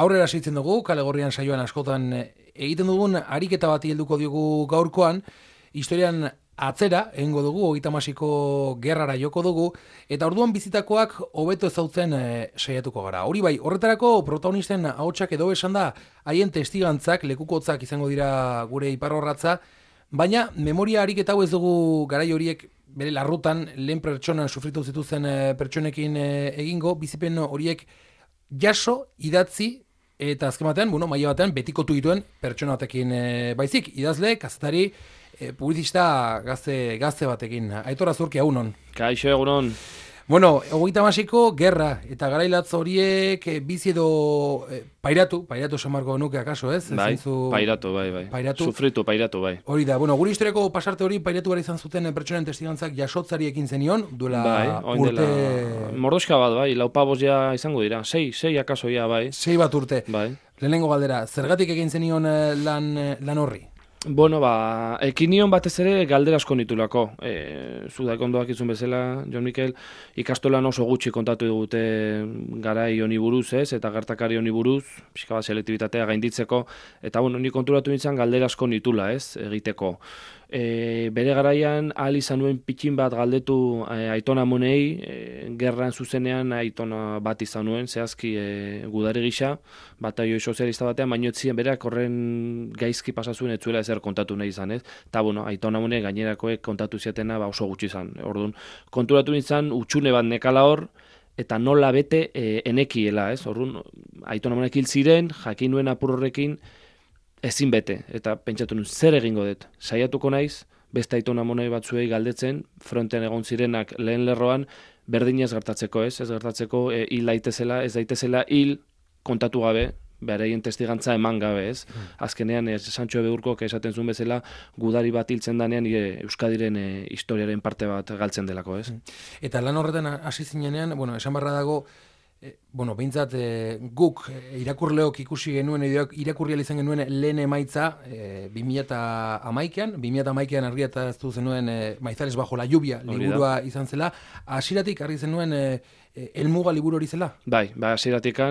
aurrera segitzen dugu, Kale Gorrian saioan askotan egiten dugun ariketa bati helduko diogu gaurkoan, historian atzera, egingo dugu, 38ko gerrara joko dugu, eta orduan bizitakoak hobeto ezautzen saiatuko gara. Hori bai, horretarako protagonisten ahotsak edo esan da, haien testigantzak, lekukotzak izango dira gure iparrorratza, baina memoria ariketa hau ez dugu garai horiek bere larrutan, lehen pertsonan sufritu zituzen pertsonekin egingo, bizipen horiek jaso, idatzi, eta azken batean, maila batean betikotu dituen pertsona batekin baizik, idazle, kazetari, publizista gazte batekin. Aitor Azurki, egunon. Kaixo, egunon. 38ko gerra eta garailatz horiek bizi edo pairatu esan marko nuke akaso, ez? Bai, pairatu, bai. Sufritu, pairatu, bai. Hori da, gure historiako pasarte hori pairatu gara izan zuten pertsonen testigantzak jasotzari ekin zenion, duela urte... Mordoska bat, bai, laupabos ja izango dira, 6 akaso ja, bai. 6 bat urte. Bai. Lehenengo galdera, zergatik egin zenion lan horri? Ekinion batez ere galdera asko nitulako. Zu daik ondoak izun bezala, Jon Mikel, ikastolan oso gutxi kontatu dugute garai honi buruz, ez? Eta gertakari honi buruz, pixka bat selektibitatea gainditzeko, eta ni konturatu nintzen galdera asko nitula, ez? Egiteko. Bere garaian ahal izan nuen pitxin bat galdetu Aiton Amonei, gerran zuzenean Aitona bat izan nuen, zehazki gudari gisa, bataio sozialista batean, baino etzien berak horren gaizki pasazuen etzuela ezer kontatu nahi izan, ez? Eta Aiton Amone gainerakoek kontatu ziatena oso gutxi izan. Orduan, konturatu nintzen utxune bat nekala hor, eta nola bete enekiela, ez? Orduan, Aiton Amonek hil ziren, jakin nuen apur horrekin, ezin bete, eta pentsatu nuen, zer egingo dut? Saiatuko naiz, beste Aiton Amonei batzuei galdetzen, frontean egon zirenak lehen lerroan, berdinez gertatzeko, ez? Ez gertatzeko hil daitezela, ez daitezela hil kontatu gabe, beraien testigantza eman gabe, ez? Azkenean, Santxo Ebeurkok esaten zuen bezala, gudari bat hiltzen danean, Euskadiren historiaren parte bat galtzen delako, ez? Eta lan horretan hasi zinenean, esan barra dago, behintzat guk irakurleok ikusi genuen, irakurrial izan genuen lehen emaitza 2011an argiaraztu zenuen Maizales bajo la lluvia liburua izan zela, hasieratik argi zenuen helmuga liburu hori zela? Bai, hasieratik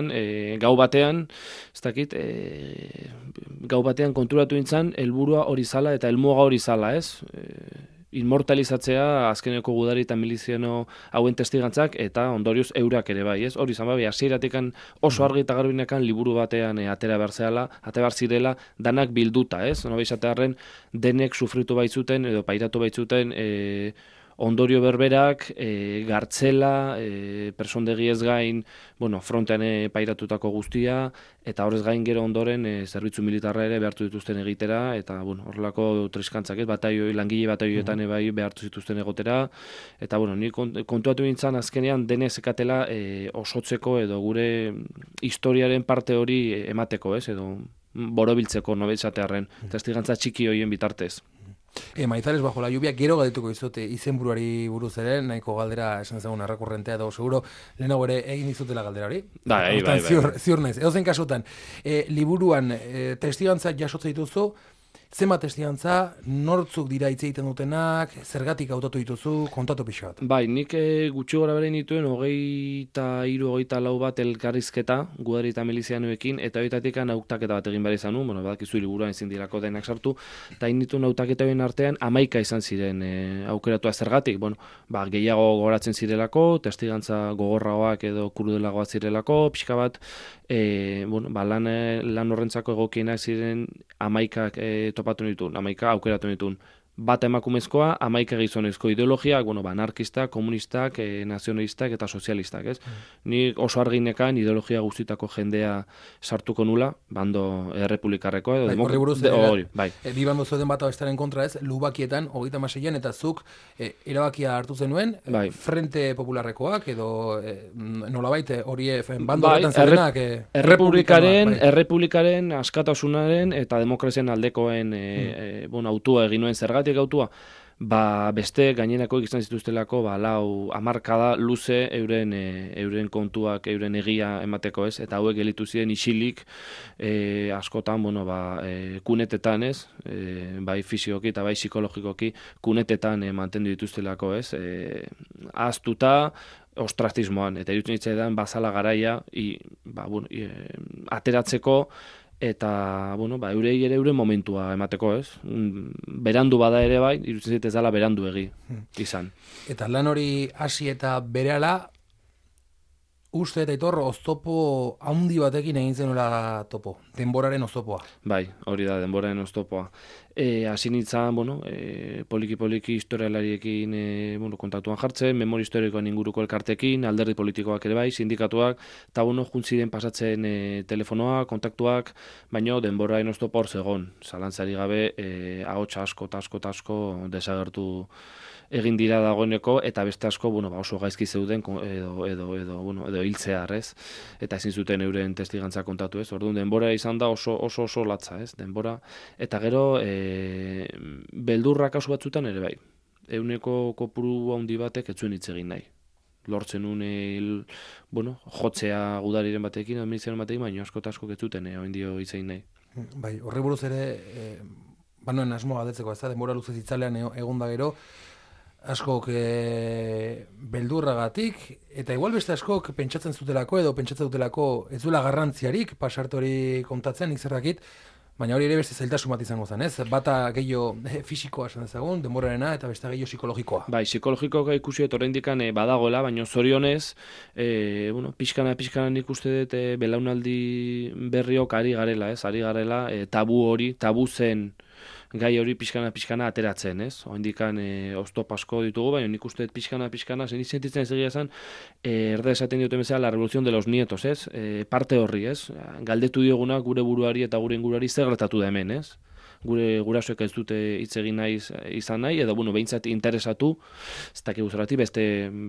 gau batean, ez dakit, gau batean konturatu nintzen helburua hori zala eta helmuga hori zala, ez? Inmortalizatzea azkeneko gudari eta miliziano hauen testigantzak eta ondorioz eurak ere bai, ez? Hori izan hasieratik oso argi eta garbinekan liburu batean atera behar zirela, danak bilduta, ez? Nola izatearren denek sufritu baitzuten edo pairatu baitzuten ondorio berberak, gartzela, persondegi ez gain, frontean pairatutako guztia, eta horrez gain gero ondoren zerbitzu militarra ere behartu dituzten egitera, eta horrelako triskantzak, langile bataioetan bai behartu zituzten egotera, eta ni kontuatu nintzen azkenean denez ekatela osotzeko edo gure historiaren parte hori emateko, ez, edo borobiltzeko nobetzatearren, testigantza txiki horien bitartez. Maizales bajo la lluvia, gero galdetuko izute izenburuari buruz ere, nahiko galdera esan ezagun arrakurrentea edo seguro, lehenago ere egin izutela galdera hori? Bai. Ziur naiz. Edozen kasutan, liburuan testigantza jasotze dituzu, zenbat testigantza, nortzuk dira hitz egiten dutenak, zergatik hautatu dituzu, kontatu pixo bat. Bai, nik gutxi gora bere nituen 23-24 bat elkarrizketa, gudari eta milizianoekin, eta horietatik hautaketa bat egin behar izan nu, badakizu liburuan ezin dirako denak sartu, eta nituen hautaketa horien artean 11 izan ziren aukeratua zergatik, gehiago gogoratzen zirelako, testigantza gogorragoak edo krudelagoak zirelako, pixka bat, lan horrentzako egokienak ziren 11 topatu nituen, 11 aukeratu nituen. Bat emakumezkoa, 11 gizonezko ideologiak, anarkistak, komunistak, nazionalistak eta sozialistak, ez? Ni oso arginekan ideologia guztitako jendea sartuko nula, bando errepublikarrekoa edo hori, bai. Bi bando zuen bat abestaren kontra, ez? Lubakietan, 36an, eta zuk erabakia hartu zenuen, Frente Popularrekoak edo nolabait hori bando horretan zerenak errepublikaren askatasunaren eta demokrazian aldekoen autua egin nuen. Zergatik autua? beste gainerako izan zituztelako lau hamarkada luze euren kontuak, euren egia emateko, ez? Eta hauek gelitu ziren isilik askotan, kunetetan, ez? Bai fisikoki eta bai psikologikoki kunetetan mantendu dituztelako, ez? Ahaztuta, ostratismoan, eta irutzen hitzaidan bazala garaia ateratzeko eta eurei ere euren momentua emateko, ez? Berandu bada ere bai, irutzen zait ez dela berandu izan. Eta lan hori hasi eta berehala, uste eta Aitor oztopo handi batekin egin zenuela topo, denboraren oztopoa. Bai, hori da, denboraren oztopoa. Hasi nintzen, poliki historialariekin kontaktuan jartzen, memoria historikoan inguruko elkartekin, alderdi politikoak ere bai, sindikatuak, eta juntziren pasatzen telefonoak, kontaktuak, baina denboraren oztopo hor zegon. Zalantzari gabe, ahots asko desagertu egin dira dagoeneko, eta beste asko oso gaizki zeuden edo hiltzear, ez? Eta ezin zuten euren testigantza kontatu, ez? Orduan denbora izan da oso latza, ez? Denbora, eta gero beldurra kasu batzutan ere bai. Euneko kopuru handi batek ez zuen hitz egin nahi. Lortzen une, jotzea gudariren batekin, administrazioen batekin, baina asko eta asko ez zuten oin dio hitz egin nahi. Bai, horri buruz ere, banoen asmo galdetzeko, ez da, denbora luzez itzalean egon da gero, askok beldurragatik, eta igual beste askok pentsatzen zutelako edo pentsatzen dutelako ez duela garrantziarik pasarte hori kontatzen, nik zer dakit, baina hori ere beste zailtasun bat izango zen, ez? Bata gehiago fisikoa esan dezagun, denborarena, eta beste gehiago psikologikoa. Bai, psikologikoa ikusi dut oraindikan badagoela, baina zorionez, pixkana nik uste dut belaunaldi berriok ari garela, ez? Ari garela, tabu zen gai hori pixkana ateratzen, ez? Oraindikan oztop asko ditugu, baina nik uste dut pixkana, zen sentitzen ez egia esan, erda esaten dioten bezala la revolución de los nietos, ez? Parte horri, ez? Galdetu dioguna gure buruari eta gure inguruari zer gertatu da hemen, ez? Gure gurasoek ez dute hitz egin izan nahi, edo behintzat interesatu, ez dakigu zergatik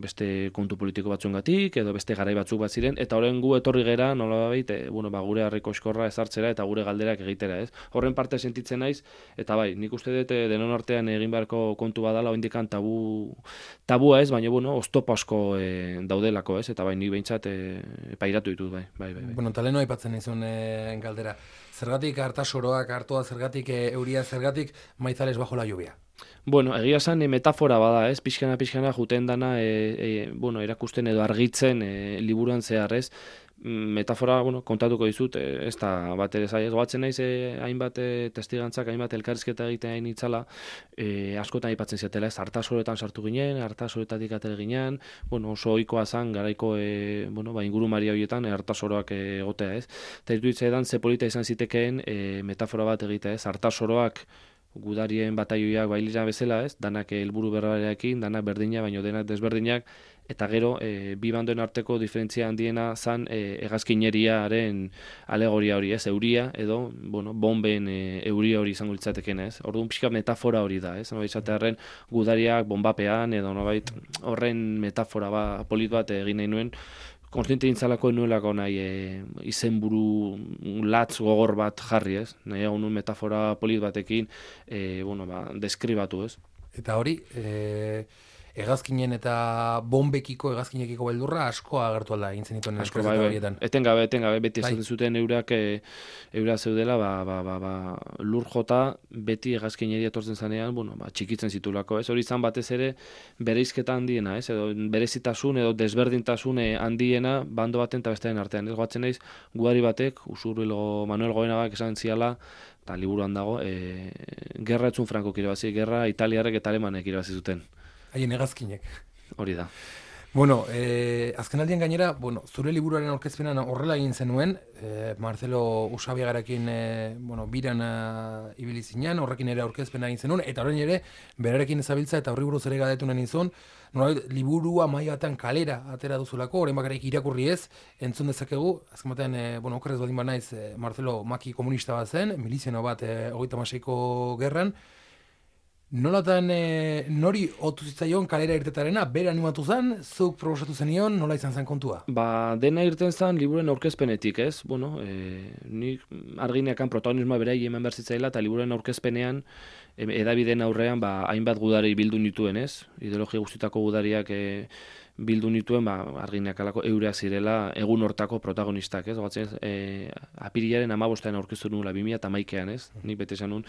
beste kontu politiko batzuengatik, edo beste garai batzuk bat ziren, eta horren gu etorri gera, nolabait, gure harriko eskorra ezartzera eta gure galderak egitera, ez? Horren parte sentitzen naiz, eta bai, nik uste dut denon artean egin beharko kontu badala, oraindikan tabua ez, baina oztopo asko daudelako, ez? Eta bai, nik behintzat pairatu ditut, bai. Taleno aipatzen nizun galdera. Zergatik hartasoroak hartua, zergatik euria, zergatik maizales bajo la lluvia? Egia esan metafora bada, ez? Pixkana juten dana, erakusten edo argitzen liburuan zehar, ez? Metafora, kontatuko dizut, ez da bat ere zai, ez goatzen naiz hainbat testigantzak, hainbat elkarrizketa egitean itzala, askotan aipatzen ziatela, ez, hartasoroetan sartu ginen, hartasoretatik atera ginen, oso ohikoa zan, garaiko, ingurumari horietan, hartasoroak egotea, ez. Eta iruditzen ze polita izan zitekeen metafora bat egitea, ez, hartasoroak gudarien bataioiak bailira bezala, ez, danak helburu berrarekin, danak berdina, baino denak desberdinak, eta gero, bi bandoen arteko diferentzia handiena zan hegazkineriaren alegoria hori, ez, euria, edo, bomben euria hori izango litzateken, ez. Orduan pixka metafora hori da, ez, izatearen gudariak bombapean, edo nobait horren metafora polit bat egin nahi nuen, konstiente dintzalako nuelako nahi izenburu latz gogor bat jarri, ez? Nahi egun metafora polit batekin deskribatu, ez? Eta hori, hegazkinen eta bombekiko, hegazkinekiko beldurra asko agertu alda egin zenituen elkarrizketa horietan. Etengabe, beti esaten zuten eura zeudela, lur jota beti hegazkineria etortzen zanean, txikitzen zitulako, ez? Hori izan batez ere bereizketa handiena, ez? Edo berezitasun edo desberdintasun handiena bando baten eta bestearen artean. Ez goatzen naiz, gudari batek, Usurbilgo Manuel Goenagak esan ziala, eta liburuan dago, gerra etzun Frankok irabazi, gerra Italiarrek eta Alemanek irabazi zuten. Haien hegazkinek. Hori da. Azkenaldian gainera, zure liburuaren aurkezpenan horrela egin zenuen, Marcelo Usabiagarekin biran ibili zinean, horrekin ere aurkezpena egin zenuen, eta horrein ere, berarekin ezabiltza eta horri buruz ere galdetu nahi nizun, liburua maila batean kalera atera duzulako, horrein bakarrik irakurri ez, entzun dezakegu, azken batean, okerrez baldin banaiz, Marcelo maki komunista bat zen, miliziano bat 36ko gerran, Nolatan nori otu zitzaion kalera irtetarena, bere animatu zen, zuk proposatu zenion, nola izan zen kontua? Dena irten zen liburuen aurkezpenetik, ez? Bueno, nik argineakan protagonismoa berai eman behar zitzaila, eta liburuen aurkezpenean, edabideen aurrean, hainbat gudari bildu nituen, ez? Ideologia guztietako gudariak bildu nituen, argineak alako eureak zirela egun hortako protagonistak, ez? Gatzen, apirilaren 15ean aurkeztu nula, 2011ean, ez? Nik bete esan nun,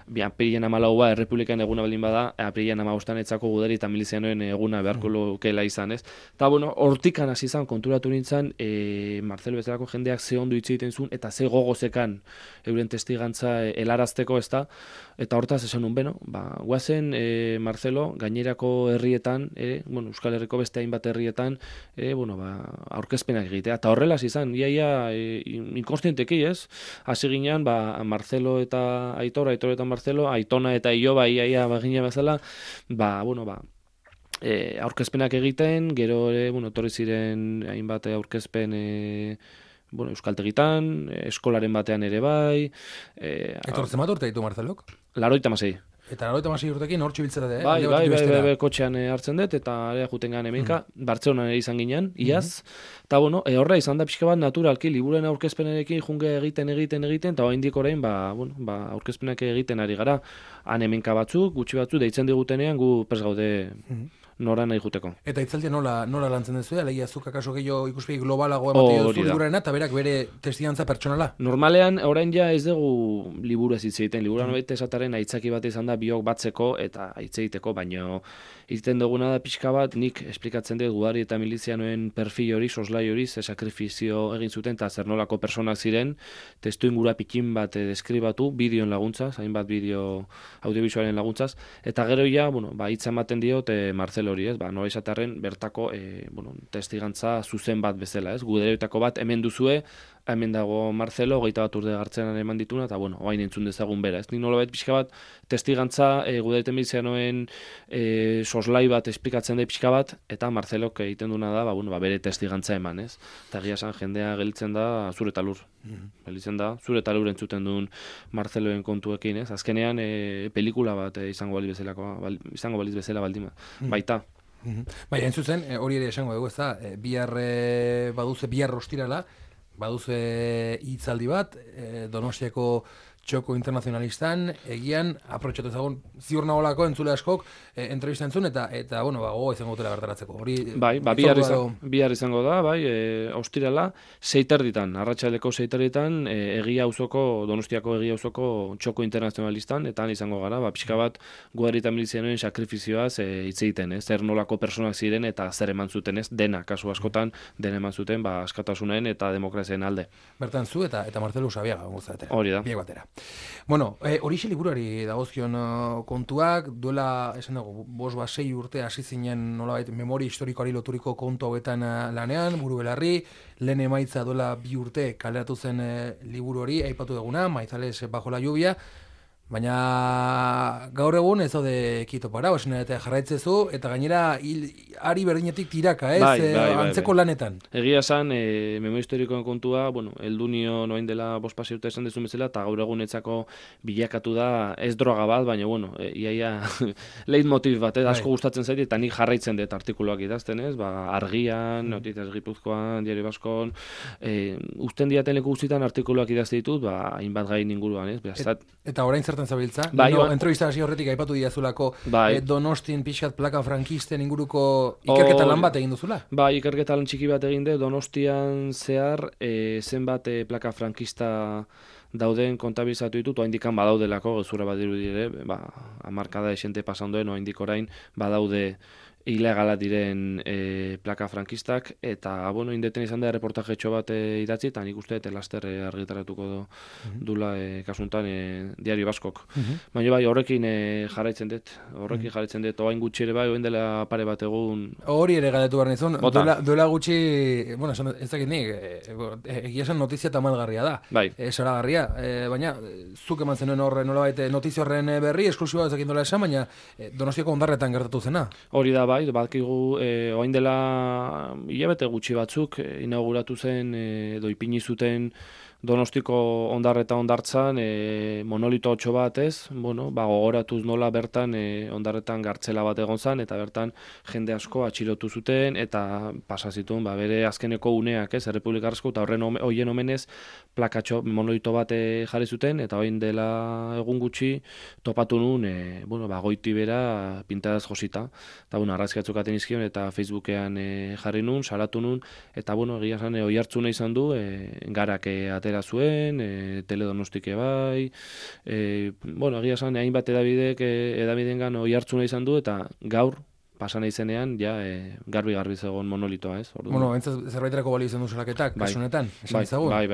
apirilaren 14a errepublikan eguna baldin bada, apirilaren 15ean etzako gudari eta milizianoen eguna beharko lukeela izan, ez? Eta, bueno, hortikan hasi izan, konturatu nintzen, Marcelo bezalako jendeak ze ondo hitz egiten zuen, eta ze gogozekan euren testigantza helarazteko, ez da? Eta hortaz esan nun, beno, guazen Marcelo gainerako herrietan, Euskal Herriko beste hainbat herrietan, aurkezpenak egitea. Eta horrela izan, iaia inkonstienteki, ez? Hasi ginean, Marcelo eta Aitor, Aitor eta Marcelo, Aitona eta Ioba, iaia bagina bezala, aurkezpenak egiten, gero etorri ziren hainbat aurkezpen euskaltegitan, eskolaren batean ere bai. Etortzen bat urte ditu Marcelok? 86. Eta 86 urtekin hortxe biltzera de, Bai, kotxean hartzen dut, eta area juten gane hemenka, Bartzelonan ere izan ginen, iaz. Eta, horra izan da pixka bat naturalki, liburuen aurkezpenerekin junge egiten, eta oraindik orain, aurkezpenak egiten ari gara. Han hemenka batzuk, gutxi batzuk, deitzen digutenean, gu pres gaude nora nahi juteko. Eta itzaldia nola lantzen duzu, alegia zuk akaso gehiago ikuspegi globalago ematen duzu liburarena, eta berak bere testigantza pertsonala? Normalean, orain ja ez dugu liburu ez hitz egiten. Liburuan baita esataren aitzaki bat izan da biok batzeko eta hitz egiteko, baina egiten duguna da pixka bat, nik esplikatzen dut gudari eta milizianoen perfil hori, soslai hori, ze sakrifizio egin zuten, eta zer nolako personak ziren, testu ingura pikin bat deskribatu, bideoen laguntzaz, hainbat bideo audiovisualen laguntzaz, eta gero ja, hitza ematen diot Marcelo hori, ez, nola izatearen bertako testigantza zuzen bat bezala, ez, guderoetako bat hemen duzue, hemen dago Marcelo, 21 urte gartzenan eman dituna, eta oain entzun dezagun bera, ez, nik nolabait pixka bat testigantza gudereten milizianoen soslai bat esplikatzen da pixka bat, eta Marcelok egiten duna da, bere testigantza eman, ez, eta egia esan jendea gelditzen da zure eta lur, gelditzen da, zure eta lur entzuten duen Marceloen kontuekin, ez, azkenean pelikula bat izango baliz bezala baldima, baita. Baina, entzutzen, hori ere esango dugu, ez da, bihar ostirala, baduze hitzaldi bat, Donostiako txoko internazionalistan, egian, aprotxatu ezagun, ziur nagolako entzule askok, entrevista entzun, eta gogo izango dutela bertaratzeko. Bihar izango da, ostirala, 6 arratsaleko 6 egia auzoko, Donostiako egia auzoko txoko internazionalistan, eta izango gara, pixka bat, guari eta milizianoen sakrifizioaz hitz egiten, zer nolako personak ziren, eta zer eman zuten, dena, kasu askotan, dena eman zuten, askatasunen eta demokrazien alde. Bertan zu, eta Marcelo Usabiaga, hori da. Biek batera. Bueno, horixe liburuari dagozkion kontuak, duela, esan dago, 5-6 urte hasi zinen nolabait memoria historikoari loturiko kontu hauetan lanean, buru belarri, lehen emaitza duela 2 urte kaleratu zen liburu hori, aipatu duguna, Maizales bajo la lluvia, baina gaur egun ez daude kito para, eta jarraitzezu, eta gainera ari berdinetik tiraka, antzeko lanetan. Egia esan, memoria historikoen kontua, heldu nio noain dela 5 urte esan dezun bezala, eta gaur egunetzako bilakatu da ez droga bat, baina, iaia leitmotiv bat, asko gustatzen zait, eta nik jarraitzen dut artikuluak idazten, Argian, Noticias Gipuzkoan, Diario Baskon, usten diaten leku guztietan artikuluak idazte ditut, hainbat gain inguruan, Eta orain zertan zabiltza? Entrevista hasi horretik aipatu diazulako Donostin pixkat plaka frankisten inguruko ikerketa lan bat egin duzula? Ikerketa lan txiki bat egin dut, Donostian zehar zenbat plaka frankista dauden kontabilizatu ditut, oaindikan badaudelako, gezurra badiru dire, hamarkada esente pasandoen, oaindik orain badaude ilegala diren plaka frankistak, eta indeten izan da reportajetxo bat idatzi, eta nik uste laster argitaratuko dula kasuntan Diario Baskok. Baina horrekin jarraitzen dut, oain gutxi ere oain dela pare bat egun. Hori ere galetu behar nizun, duela gutxi, ez dakit nik, egia esan notizia tamalgarria da, zoragarria, baina zuk eman zenuen horre nolabait notizia horren berri, esklusiba ez dakit dola esan, baina Donostiako hondarretan gertatu zena. Hori da, badakigu orain dela hilabete gutxi batzuk inauguratu zen edo ipini zuten Donostiko Hondarra eta Hondartzan monolito otxo bat, ez? Bueno, gogoratuz nola bertan Hondarretan gartzela bat egon zan, eta bertan jende asko atxilotu zuten, eta pasa zituen bere azkeneko uneak, ez? Errepublikarrezko, eta horien omenez plakatxo monolito bat jarri zuten, eta orain dela egun gutxi topatu nun, goiti bera pintadaz josita. Eta, arrazki batzuk aten izkion, eta Facebookean jarri nun, salatu nun, eta, egia zan, oihartzuna izan du, garak atera zuen, Teledonostik bai, egia esan, hainbat edabidengan oihartzuna izan du, eta gaur, pasan izenean, garbi zegoen monolitoa, ez? Zerbaiterako balio izan du salaketak, kasunetan, esan izagun? Bai.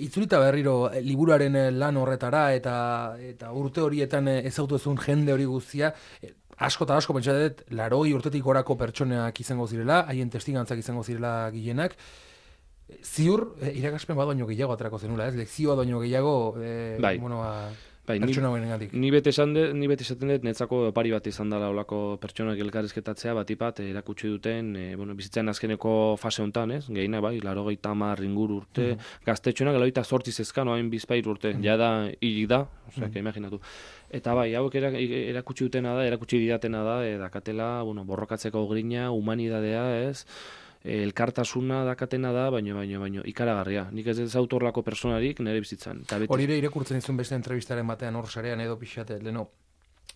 Itzulita berriro, liburuaren lan horretara, eta urte horietan ezautu ezun jende hori guztia, asko pentsa dut, 80 urtetik gorako pertsoneak izango zirela, haien testigantzak izango zirela gehienak. Ziur, irakaspen bat baino gehiago aterako zenula, ez? Lekzioa baino gehiago, pertsona hoenengatik. Ni beti esaten dut, netzako opari bat izan dela olako pertsonak elkarrizketatzea, batipat erakutsi duten, bizitzaren azkeneko fase honetan, ez? Gehina, 80 inguru urte, gaztetxoenak 28 zezkan, oain bizpair urte, jada hilik da, imaginatu. Eta hauek erakutsi dutena da, erakutsi didatena da, dakatela, borrokatzeko grina, humanidadea, ez? Elkartasuna dakatena da, baino ikaragarria. Nik ez autorlako personarik nire bizitzan. Hori ere irakurtzen izun beste entrevistaren batean hor sarean edo pixate, leno,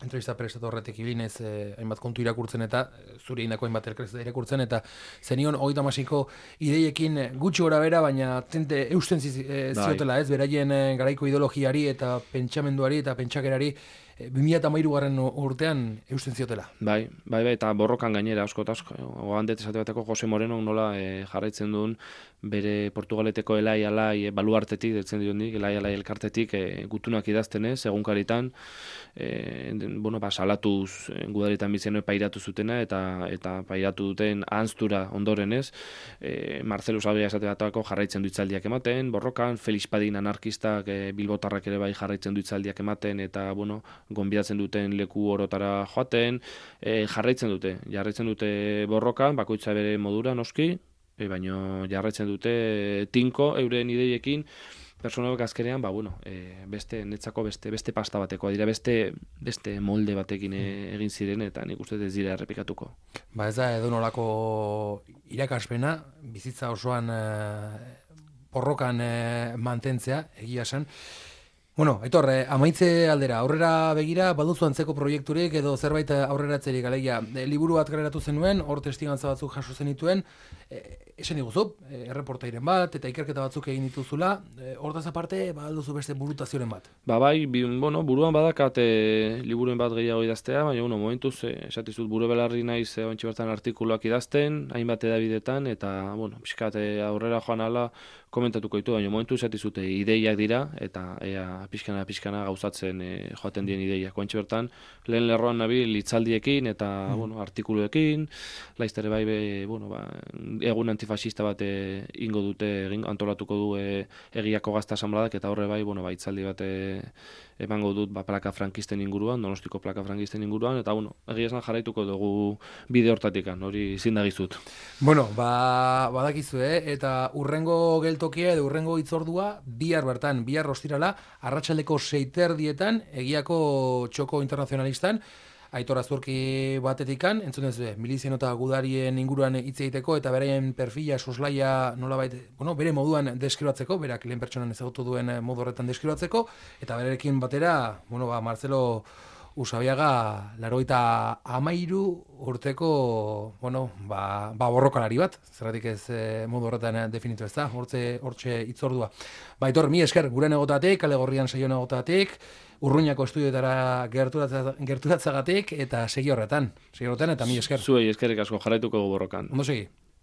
entrevista prestatu horretik ibilinez, hainbat kontu irakurtzen eta zure indako hainbat irakurtzen, eta zenion 30ko ideiekin gutxi gora bera, baina tente eusten ziotela, ez, beraien garaiko ideologiari eta pentsamenduari eta pentsakerari 2013 urtean eusten ziotela. Bai, eta borrokan gainera asko. Oandet esate bateko Jose Moreno nola jarraitzen duen bere Portugaleteko elai baluartetik, detzen dionik, elai elkartetik gutunak idaztenez, egunkaritan, salatuz gudaritan bizienoi pairatu zutena, eta pairatu duten ahanztura ondorenez, Marcelo Sabia esate bateko jarraitzen du hitzaldiak ematen, borrokan, Felix Padin anarkistak bilbotarrak ere bai jarraitzen du hitzaldiak ematen, eta, gonbidatzen duten leku orotara joaten, jarraitzen dute borrokan, bakoitza bere modura noski, baina jarraitzen dute tinko euren ideiekin, personak azkenean, netzako beste pasta bateko, dira beste molde batekin egin ziren, eta nik uste ez dira errepikatuko. Ez da edo nolako irakaspena, bizitza osoan borrokan mantentzea, egia esan. Aitor, amaitze aldera, aurrera begira, baduzu antzeko proiekturik edo zerbait aurreratzerik, alegia, liburu bat gareratu zenuen, hor testigantza batzuk jaso zenituen, esan diguzu, erreportairen bat, eta ikerketa batzuk egin dituzula, hortaz aparte, baduzu beste burutazioren bat. Buruan badakat liburuen bat gehiago idaztea, baina, momentuz, esatizut, buru belarri naiz, ontsi bertan artikuluak idazten, hainbat edabidetan, eta, pixkat aurrera joan ala, komentatuko ditu, baina momentu esatizute ideiak dira, eta ea pixkana gauzatzen joaten dien ideiak. Koentxe bertan, lehen lerroan nabil hitzaldiekin eta artikuluekin, laiztere bai, egun antifasista bat antolatuko du egiako gazta asanbladak, eta horre bai, hitzaldi bat emango dut plaka frankisten inguruan, Donostiko plaka frankisten inguruan, eta egia esan jarraituko dugu bide hortatikan, hori zindagizut. Badakizu, eta urrengo geltokia edo urrengo hitzordua bihar ostirala, arratsaldeko 6:00 egiako txoko internazionalistan, Aitor Azurki batetikan, entzun ez milizien eta gudarien inguruan hitz egiteko eta beraien perfila, soslaia nolabait, bere moduan deskribatzeko, berak lehen pertsonan ezagutu duen modu horretan deskribatzeko, eta berarekin batera, Marcelo Usabiaga 83 urteko, borrokalari bat, zerratik ez modu horretan definitu ez da, hortxe hitzordua. Aitor, mi esker, guren egotatik, Kale Gorrian saioan egotatik, Urruñako estudioetara gerturatzagatik, eta segi horretan, eta mi esker. Zuei eskerrik asko jarraituko borrokan. Ondo segi.